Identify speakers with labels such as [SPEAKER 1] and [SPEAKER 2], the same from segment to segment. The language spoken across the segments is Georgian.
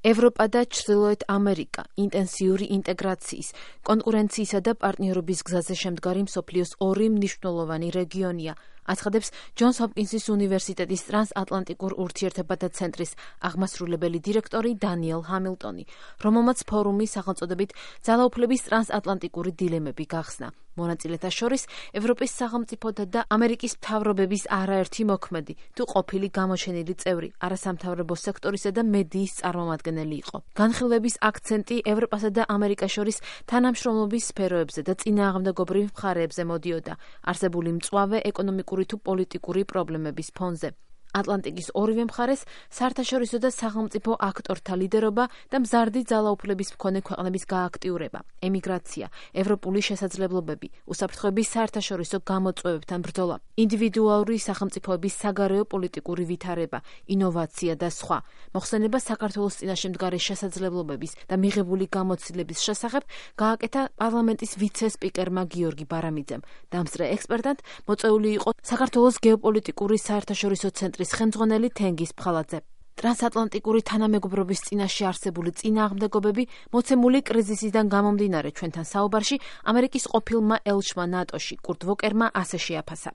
[SPEAKER 1] ევროპა და ჩრდილოეთ ამერიკა ინტენსიური ინტეგრაციის, კონკურენციისა და პარტნიორობის გზაზე შემდგარი მსოფლიოს ორი მნიშვნელოვანი რეგიონია, აცხადებს ჯონს ჰოპკინსის უნივერსიტეტის ტრანსატლანტიკურ ურთიერთობათა ცენტრის აღმასრულებელი დირექტორი დანიელ ჰამილტონი, რომელმაც ფორუმის სახელწოდებით ძალაუფლების ტრანსატლანტიკური დილემები გახსნა. მონაწილეთა შორის ევროპის სახელმწიფოთა და ამერიკის მთავრობების არაერთი მოქმედი თუ ყოფილი გამოჩენილი წევრი, არასამთავრობო სექტორისა და მედიის წარმომადგენელი იყო. განხილვების აქცენტი ევროპასა და ამერიკას შორის თანამშრომლობის სფეროებზე და წინააღმდეგობრივ მხარეებზე მოდიოდა, არსებული მწვავე ეკონომიკური თუ პოლიტიკური პრობლემების ფონზე. ატლანტიკის ორივე მხარეს საერთაშორისო და სახელმწიფო აქტორთა ლიდერობა და მზარდი ძალაუფლების მქონე ქვეყნების გააქტიურება, ემიგრაცია, ევროპული შესაძლებლობები, უსაფრთხოების საერთაშორისო გამოწვევებთან ბრძოლა, ინდივიდუალური სახელმწიფოების საგარეო პოლიტიკური ვითარება, ინოვაცია და სხვა. მოხსენება საქართველოს წინაშე მდგარი შესაძლებლობების და მიღებული გამოცდილების შესახებ გააკეთა პარლამენტის ვიცე-სპიკერმა გიორგი ბარამიძემ. დამსწრე ექსპერტად მოწვეული იყო საქართველოს გეოპოლიტიკური საერთაშორისო ცენტრის ხელმძღვანელი თენგიზ ფხალაძე. ტრანსატლანტიკური თანამეგობრობის წინაშე არსებული წინააღმდეგობები მოცემული კრიზისიდან გამომდინარე ჩვენთან საუბარში ამერიკის ყოფილმა ელჩმა ნატოში კურტ ვოკერმა ასე შეაფასა.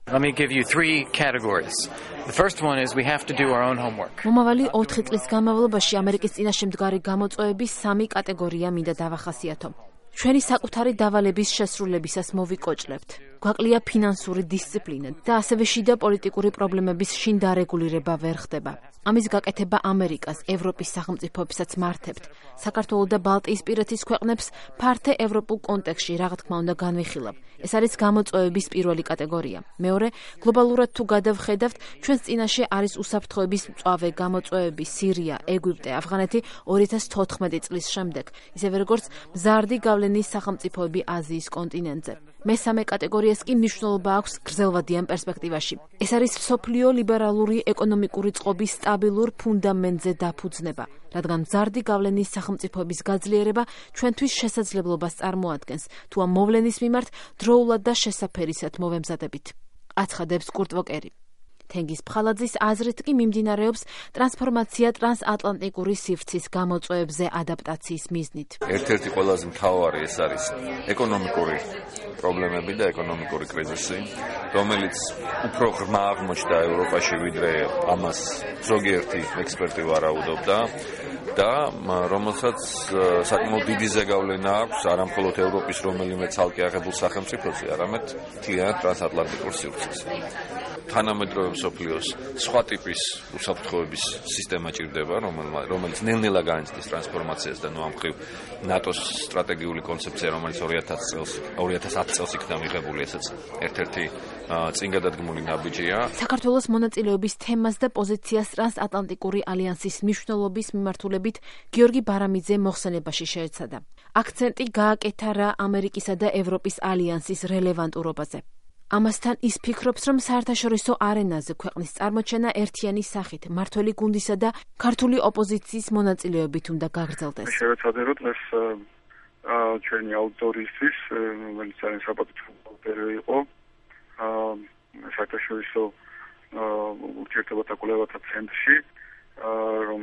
[SPEAKER 1] მომავალი 4 წლის განმავლობაში ამერიკის წინაშე მდგარი გამოწვევების 3 კატეგორია მინდა დავახასიათო. ჩვენი საკუთარი დავალების შესრულებისას მოვიკოჭლებთ. გვაკლია ფინანსური დისციპლინა და ასევე შიდა პოლიტიკური პრობლემების შინ დარეგულირება ვერ ხდება. ამის გაკეთება ამერიკას, ევროპის სახელმწიფოებსაც მართებთ. საქართველოს და ბალტიისპირეთის ქვეყნებს ფართე ევროპულ კონტექსტში რა თქმა უნდა განვიხილავ. ეს არის გამოწვევების პირველი კატეგორია. მეორე, გლობალურად თუ გადავხედავთ, ჩვენს წინაშე არის უსაფრთხოების მწვავე გამოწვევები სირია, ეგვიპტე, αφღანეთი 2014 წლის შემდეგ, ისევე როგორც მზარდი გავლენის სახელმწიფოები აზიის კონტინენტზე. მესამე კატეგორიას კი მნიშვნელობა აქვს გრძელვადიან პერსპექტივაში. ეს არის მსოფლიო ლიბერალური ეკონომიკური წყობის სტაბილურ ფუნდამენტზე დაფუძნება, რადგან მზარდი გავლენის სახელმწიფოების გაძლიერება ჩვენთვის შესაძლებლობას წარმოადგენს, თუ ამ მოვლენის მიმართ დროულად და შესაფერისად მოვემზადებით. აცხადებს კურტ ვოკერი. თენგიზ ფხალაძის აზრით კი მიმდინარეობს ტრანსფორმაცია ტრანსატლანტიკური სივრცის გამოწვევებზე ადაპტაციის მიზნით.
[SPEAKER 2] ერთ-ერთი ყველაზე მთავარი ეს არის ეკონომიკური პრობლემები და ეკონომიკური კრიზისი, რომელიც უფრო ღრმა აღმოჩნდა ევროპაში, ვიდრე ამას ზოგიერთი ექსპერტი ვარაუდობდა და რომელსაც საკმაოდ დიდი ზეგავლენა აქვს არა მხოლოდ ევროპის რომელიმე ცალკე აღებულ სახელმწიფოზე, არამედ მთლიან ტრანსატლანტიკურ სივრცეზე. თანამედროვე მსოფლიოს სხვა ტიპის უსაფრთხოების სისტემა ჭირდება, რომელიც ნელ-ნელა განიცდის ტრანსფორმაციას და ამ მხრივ ნატოს სტრატეგიული კონცეფცია, რომელიც 2010 წელს იქნა მიღებული, ესეც ერთ-ერთი წინ გადადგმული ნაბიჯია.
[SPEAKER 1] საქართველოს მონაწილეობის თემას და პოზიციას ტრანსატლანტიკური ალიანსის მნიშვნელობის მიმართულებით გიორგი ბარამიძე მოხსენებაში შეეცადა. აქცენტი გააკეთა რა ამერიკისა და ევროპის ალიანსის რელევანტურობაზე. ამასთან ის ფიქრობს, რომ საერთაშორისო არენაზე ქვეყნის წარმოჩენა ერთიანი სახით, მართველი გუნდისა და ქართული ოპოზიციის მონაწილეობით უნდა გაგრძელდეს.
[SPEAKER 3] შევეცადე დღეს ჩვენი აუდიტორიისთვის, რომელიც არის საპატრიოტო იყო, საერთაშორისო ურთიერთობათა კვლევათა ცენტრში, რომ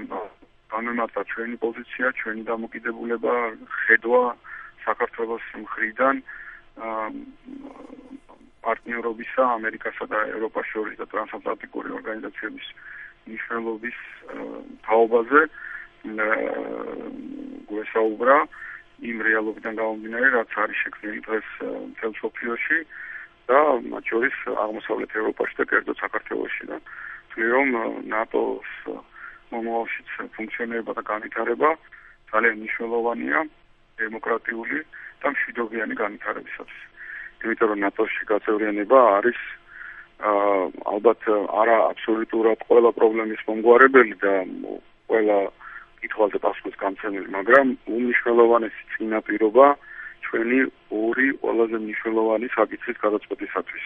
[SPEAKER 3] განმარტა ჩვენი პოზიცია, ჩვენი დამოკიდებულება, ხედვა საქართველოს მხრიდან პარტნიორობისა ამერიკასა და ევროპას შორის და ტრანსატლანტიკური ორგანიზაციების მნიშვნელობის თაობაზე გვესაუბრა იმ რეალობიდან გამომდინარე, რაც არის შექმნილი დღეს მთელ მსოფლიოში და მათ შორის აღმოსავლეთ ევროპაში და კერძოდ საქართველოში და თვლი რომ ნატოს მომავალშიც ფუნქციონირება და განვითარება ძალიან მნიშვნელოვანია დემოკრატიული და მშვიდობიანი განვითარებისათვის. იმიტომ რომ ნატოში გაწევრიანება არის ალბათ არა აბსოლუტურად ყველა პრობლემის მომგვარებელი და ყველა კითხვაზე პასუხის გამცემელი, მაგრამ უმნიშვნელოვანესი წინაპირობა ჩვენი ორი ყველაზე მნიშვნელოვანი საკითხის გადაწყვეტისათვის.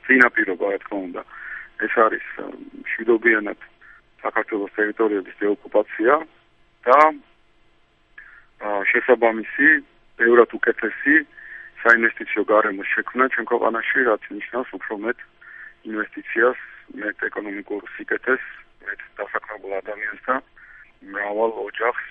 [SPEAKER 3] წინაპირობა, რა თქმა უნდა, ეს არის მშვიდობიანად საქართველოს ტერიტორიების დეოკუპაცია და შესაბამისი ბევრად უკეთესი საინვესტიციო გარემოს შექმნა ჩვენ ქვეყანაში, რაც ნიშნავს უფრო მეტ ინვესტიციას, მეტ ეკონომიკურ სიკეთეს, მეტ დასაქმებულ ადამიანს და მრავალ ოჯახს,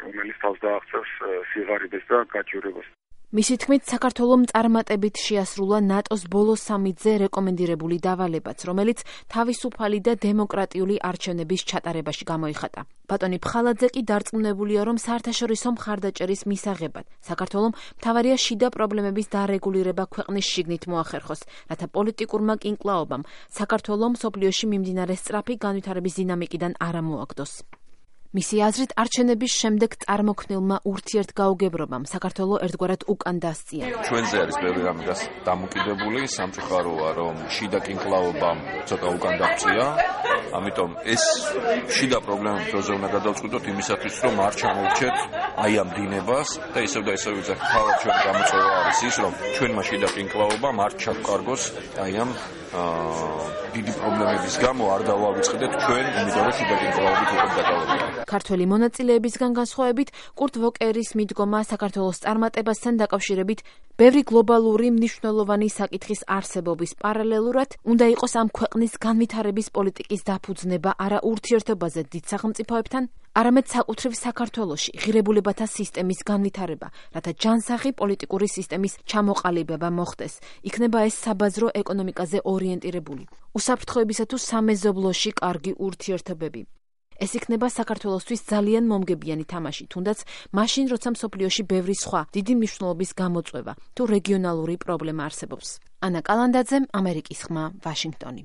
[SPEAKER 3] რომელიც თავს დააღწევს სიღარიბეს და გაჭირვებას.
[SPEAKER 1] მისი თქმით, საქართველომ წარმატებით შეასრულა ნატოს ბოლო სამიტზე რეკომენდირებული დავალებაც, რომელიც თავისუფალი და დემოკრატიული არჩევნების ჩატარებაში გამოიხატა. ბატონი ფხალაძე კი დარწმუნებულია, რომ საერთაშორისო მხარდაჭერის მისაღებად საქართველომ მთავარია შიდა პრობლემების დარეგულირება ქვეყნის შიგნით მოახერხოს, რათა პოლიტიკურმა კინკლაობამ საქართველომ მსოფლიოში მიმდინარე სწრაფი განვითარების დინამიკიდან არ ამოაგდოს. მისი აზრით, არჩევნების შემდეგ წარმოქმნილმა ურთიერთგაუგებრობამ საქართველო ერთგვარად უკან დასწია.
[SPEAKER 2] ჩვენზე არის ბევრი რამე დამოკიდებული, სამწუხაროა, რომ შიდა კინკლაობამ ცოტა უკან დასწია, ამიტომ ეს შიდა პრობლემები დროზე უნდა გადავწყვიტოთ იმისათვის, რომ არ ჩამოვრჩეთ აი ამ დინებას და ისევ და ისევ ვიძახით, თავად ჩვენი გამოწვევა არის ის, რომ ჩვენმა შიდა კინკლაობამ არ ჩავკარგოს აი ამ დიდი პრობლემების გამო არ დავავიწყდეთ ჩვენ, იმიტომ რომ შიდა კინკლაობით უკვე გადავარდა.
[SPEAKER 1] ქართველი მონაწილეებისგან განსხვავებით, კურტ ვოკერის მიდგომა საქართველოს წარმატებასთან დაკავშირებით ბევრი გლობალური მნიშვნელოვანი საკითხის არსებობის პარალელურად უნდა იყოს ამ ქვეყნის განვითარების პოლიტიკის დაფუძნება არა ურთიერთობაზე დიდ სახელმწიფოებთან, არამედ საკუთრივ საქართველოში ღირებულებათა სისტემის განვითარება, რათა ჯანსაღი პოლიტიკური სისტემის ჩამოყალიბება მოხდეს. იქნება ეს საბაზრო ეკონომიკაზე ორიენტირებული, უსაფრთხოებისა თუ სამეზობლოში კარგი ურთიერთობები. ეს იქნება საქართველოსთვის ძალიან მომგებიანი თამაში, თუნდაც მაშინ, როცა მსოფლიოში ბევრი სხვა დიდი მნიშვნელობის გამოწვევა თუ რეგიონალური პრობლემა არსებობს. ანა კალანდაძე, ამერიკის ხმა, ვაშინგტონი.